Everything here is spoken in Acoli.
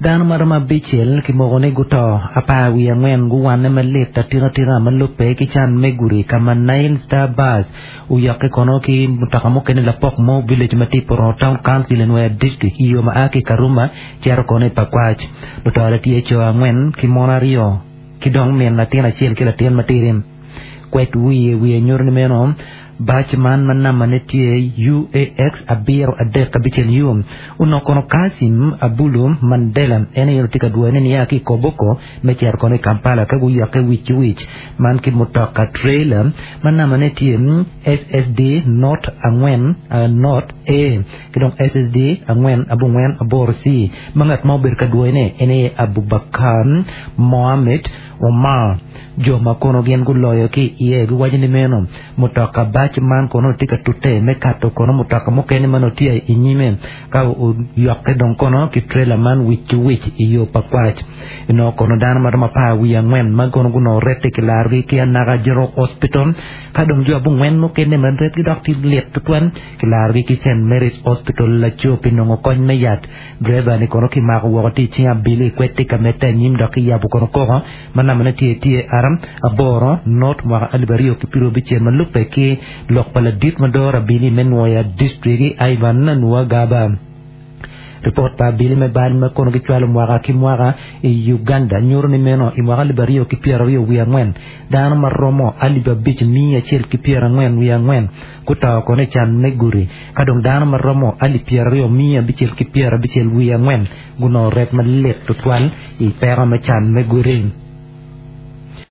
Dano ma romo abicel kimoko ni guto, 14 guwanne malit atikatika ma lubbe ki can me gudi ka ma Nile Star Bus oyokke kono ki mutoka mukene lapok mo village ma tye i Purono Town Council i Nwoya District i yo ma a ki i Karuma cito kono i Pakwach. Lutore tye co angwen ki mon aryo ki dong min latin acel ki latin matidi. Kwed wiye wiye nyuto ni meno Bac man ma nambane tye UAX abiro adek abicel U onongo kono Kassim Abulu Mandela en aye onongo tye ka dwoyone nia ki i Koboko me cito kono i Kampala ka guyokke wic ki wic man ki mutoka trailer ma nambane tye SSD not angwen not A ki dong SSD angwen abongwen aboro C ma ngat ma obedo ka dwoyone en aye Abubakar Mohammed Omar. Jo ma kono gin guloyo ki iye giwaco ni meno mutoka bac man kono tye ka tute me kato kono mutoka mukene ma nongo tye i nyime ka oyokke dong kono ki trela man wic ki wic i yo pa kwac. Inongo kono dano ma romo 14 ma kono gunongo rette kilarogi ki Anaka General Hospital ka dong jo abongwen mukene ma retgi dok tye lit tutwal kilarogi ki St. Mary's Hospital laco pi nongo kony me yat. Driver ni kono kimako woko tye i cing abili kwed tye ka medde anyim dok kiyabo kono koko ma nambane tye TAR aboro not mwaka 2026 ma lubbe ki lok pa ladit ma doro abili me Nwoya District Ivan Nuwagaba. Ripot pa abili me bal ma kono gicwalo mwaka ki mwaka i Uganda nyuto ni meno i mwaka 2024 dano ma romo 5,144 guto kono i can me gudi ka dong dano ma romo 20,664 gunongo ret malit tutwal i peko me can me gudi.